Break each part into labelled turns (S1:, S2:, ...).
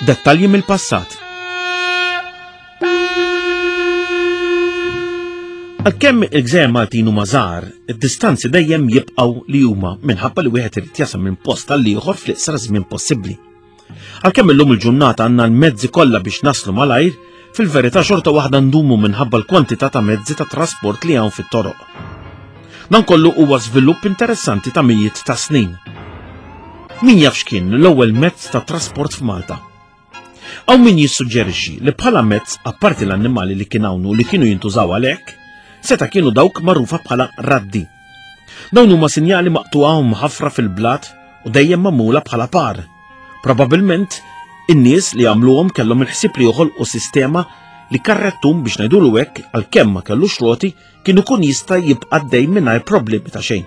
S1: Dettalji mill-passat. Għalkemm il-gżejjer Maltin huma żgħar, id-distanzi dejjem jibqgħu li huma minħabba li wieħed irid jasal minn post għal ieħor fl-iqsar żmien possibbli. Għalkemm illum il-ġurnata għandna l-mezzi kollha biex naslu malajr, fil-verità xorta waħda ndumu minħabba l-kwantità ta' mezzi ta' trasport li hawn fit-toroq. Dan kollu huwa żvilupp interessanti ta' mijiet ta' snin. Min jaf x'kien l-ewwel mezz ta' trasport f'Malta? Hawn min jissuġġerixxi li bħala mezz apparti l-annimali li kien hawn u li kienu jintużaw għalhekk, seta' kienu dawk magħrufa bħala raddi. Dawn huma sinjali maqtugħa u mħaffra fil-blat u dejjem magħmula bħala par. Probabilment in-nies li għamluhom kellhom il-ħsieb li joħolqu sistema li karrettun biex ngħidulu hekk għalkemm ma kellux roti kien ikun jista' jibqa' għaddej mingħajr problemi ta' xejn.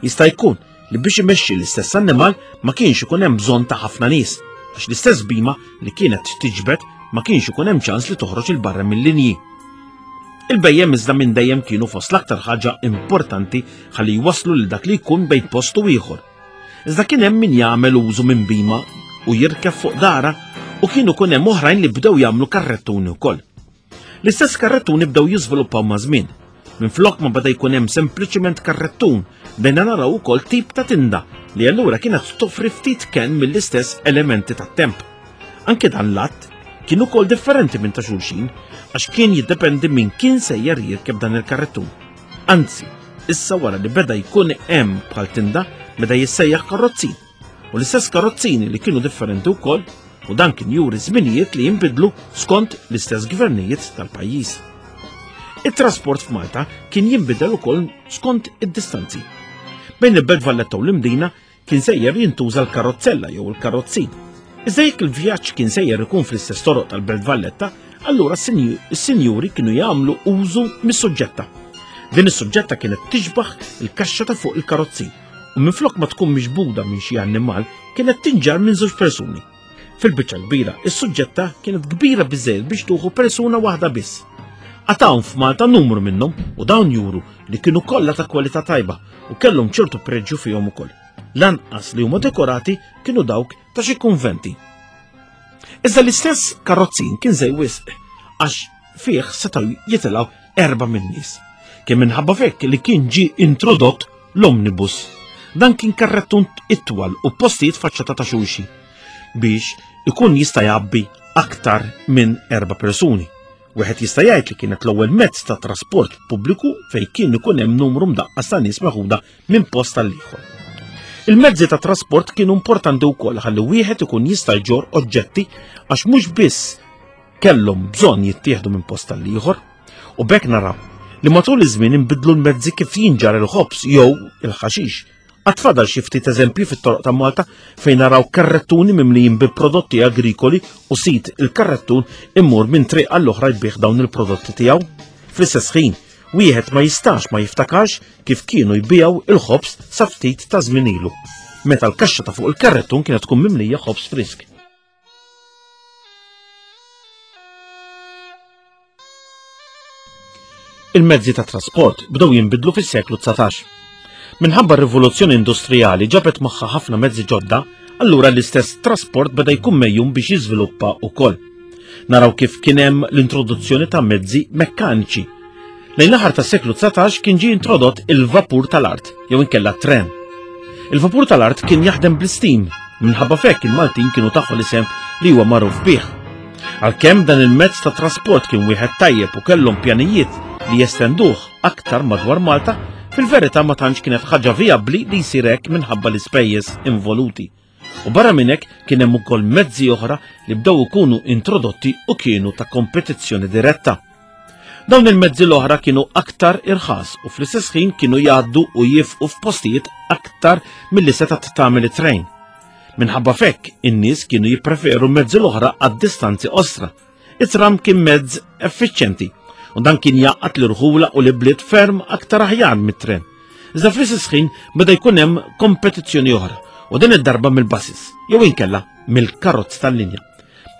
S1: Jista' jkun li biex imexxi l-istess annimal ma kienx ikun hemm bżonn ta' ħafna nies, għax l-istess bima li kienet tiġbed ma kienx ikun hemm ċans li toħroġ il barra mill-linji. Il-bejjem iżda minn dejjem kienu fost l-aktar ħaġa importanti ħalli jwasslu lil dak li jkun bejn post u ieħor. Iżda kien hemm min jagħmel użu minn bima u jirkeb fuq dara u kienu kun hemm oħrajn li bdew jagħmlu karrettuni wkoll. L-istess karrettuni bdew jiżviluppaw maż-żmien. Minflok ma beda jkun hemm sempliċiment karrettun, bdejna naraw ukoll tip ta' tinda li allura kienet toffri ftit kenn mill-istess elementi tat-temp. Anke dan l-att kien ukoll differenti minn ta' xulxin għax kien jiddependi min kien sejjer jirkeb dan il-karrettun. Anzi, issa wara li beda jkun hemm bħal tinda beda jissejjaħ karrozzin. U l-istess karozzini li kienu differenti wkoll u dan kien juri żminijiet li jinbidlu skont l-istess gvernijiet tal-pajjiż. It-trasport f'Malta kien jinbidel ukoll skont id-distanzi. Bejn il-Belt Valletta u l-Imdina kien sejjer jintuża l-karozzella jew il-karozzin. Iżda jekk il-vjaġġ kien sejjer ikun fl-istess toroq tal-Belt Valletta, allura s-sinjuri kienu jagħmlu użu mis-suġġetta. Din is-suġġetta kienet tixbaħ il-kaxxa ta' fuq il-karozzin u minflok ma tkun miġbuda minn xi annimal kienet tinġarr minn żewġ persuni. Fil-biċċa kbira, is-suġġetta kienet kbira biżejjed biex tuħu persuna waħda biss. Għad hawn f'Malta numru minnhom u dawn juru li kienu kollha ta' kwalità tajba u kellhom ċertu preġju fihom ukoll. Lanqas li huma dekorati kienu dawk ta' xi kunventi. Iżda l-istess karrozzin kien żej wisq għax fih setgħu jitilgħu erba' min-nies. Kien minħabba fekk li kien ġie introdott l-omnibus. Dan kien karrettun itwal u postijiet faċċata ta' xulxin biex ikun jista' jgħabbi aktar minn erba' persuni. Wieħed jista' jgħid li kienet l-ewwel mezz ta' trasport pubbliku fejn kien ikun hemm numru mdaqqas ta' nies meħuda minn post għal ieħor. Il-mezzi ta' trasport kienu importanti wkoll ħalli wieħed ikun jista' jġorr oġġetti għax mhux biss kellhom bżonn jittieħdu minn post għal ieħor. U b'hekk naraw li matul iż-żmien inbidlu l-mezzi kif jinġar il-ħobż jew il-ħaxix. Għad fadal xi ftit eżempji fit-toroq ta' Malta fejn naraw karrettuni mimlijin bi prodotti agrikoli u sid il-karrettun immur minn triq għall-oħra jbigħ dawn il-prodotti tiegħu. Fl-istess ħin, wieħed ma jistax ma jiftakarx kif kienu jbigħu il-ħobż sa ftit ta' żmien ilu, meta l-kaxxa ta' fuq il-karrettun kienet tkun mimlija ħobż frisk. Il-mezzi ta' trasport bdew jinbidlu fis-seklu 19. Minħabba r-rivoluzzjoni industrijali ġabet magħha ħafna mezzi ġodda, allura l-istess trasport beda jkun mejjum biex jiżviluppa wkoll. Naraw kif kien hemm l-introduzzjoni ta' mezzi mekkaniċi. Lejn l-aħħar tas-seklu 19 kien ġie introdott il-vapur tal-art, jew inkella tren. Il-vapur tal-art kien jaħdem bl-istim, minħabba fekk il-Maltin kienu taħu l-isem li huwa magħruf bih. Għalkemm dan il-mezz ta' trasport kien wieħed tajjeb u kellhom pjanijiet li jestenduh aktar madwar Malta, fil-verità ma tantx kienet ħaġa vijabbli li jsir hekk minħabba l-ispejjeż involuti. U barra minn hekk kien hemm ukoll mezzi oħra li bdew ikunu introdotti u kienu ta' kompetizzjoni diretta. Dawn il-mezzi l-oħra kienu aktar irħas u fl-istess ħin kienu jgħaddu u jifqu f'postijiet aktar milli setgħet tagħmel it-trejn. Minħabba fekk, in-nies kienu jippreferu mezzi l-oħra għad-distanzi qosra. It-tram kien mezz effiċjenti u dan kien jgħaqqad l-irħula u l-ibliet ferm aktar aħjar mit-tren. Iżda fl-istess ħin beda jkun hemm kompetizzjoni oħra u din id-darba mill-buses jew inkella mill-karozz tal-linja.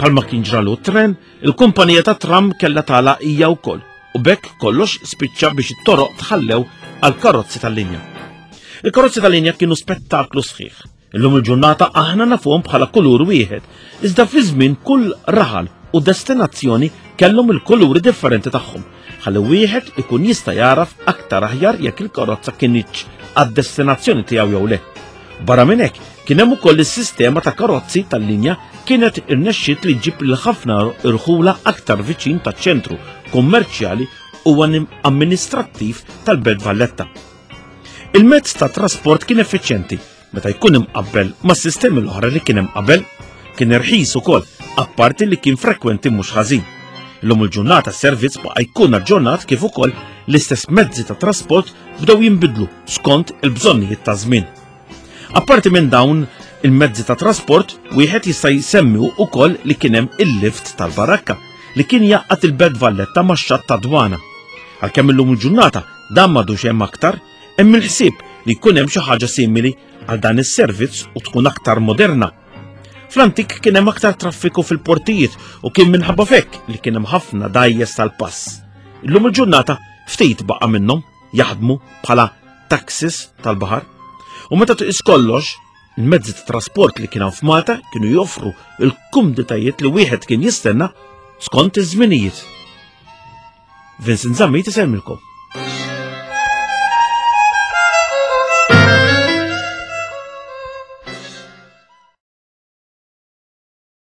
S1: Palma kien ġralu t-tren, il-kumpanija ta' tram kellha tagħlaq hija wkoll u b'hekk kollox spiċċa biex it-toroq tħallew għal karozzi tal-linja. Il-karozzi tal-linja kienu spettaklu sħiħ. Illum il-ġurnata aħna nafuhom bħala kulur wieħed, iżda fi żmien kull raħal u destinazzjoni kellhom il-kuluri differenti tagħhom, ħalli wieħed ikun jista' jagħraf aktar aħjar jekk il-karozza kinitx għad-destinazzjoni tiegħu jew le. Barra minn hekk, kien hemm ukoll is-sistema ta' karozzi tal-linja kienet irnexxiet li ġġib lil ħafna irħula aktar viċin taċ-ċentru kummerċjali u amministrattiv tal-Belt Valletta. Il-mezz ta' trasport kien effiċjenti meta jkun imqabbel mas-sistemi l-oħra li kien hemm qabel, kien irħis ukoll, apparti li kien frekwenti mhux ħażin. Illum il-ġurnata s-servizz baqa' jkun aġġornat kif ukoll l-istess mezzi ta' trasport bdew jinbidlu skont il-bżonnijiet ta' żmien. Apparti minn dawn il-mezzi ta' trasport, wieħed jista' jsemmi wkoll li kien hemm il-lift tal-barakka li kien jgħaqqad il-Belt Valletta max-xatt ta' Dwana. Għalkemm illum il-ġurnata dan m'għadux hemm aktar, hemm il-ħsieb li jkun hemm xi ħaġa simili għal dan is-servizz u tkun aktar moderna. Fl-antik kien hemm aktar traffiku fil-portijiet u kien minħabba fekk li kien hemm ħafna dajjes tal-pass. Illum il-ġurnata ftit baqa' minnhom jaħdmu bħala taxis tal-baħar. U meta tqis kollox, il-mezzi ta' trasport li kien hawn f'Malta kienu joffru l-kumditajiet li wieħed kien jistenna skont iż-żminijiet. Vincent Zammit isellmilkom.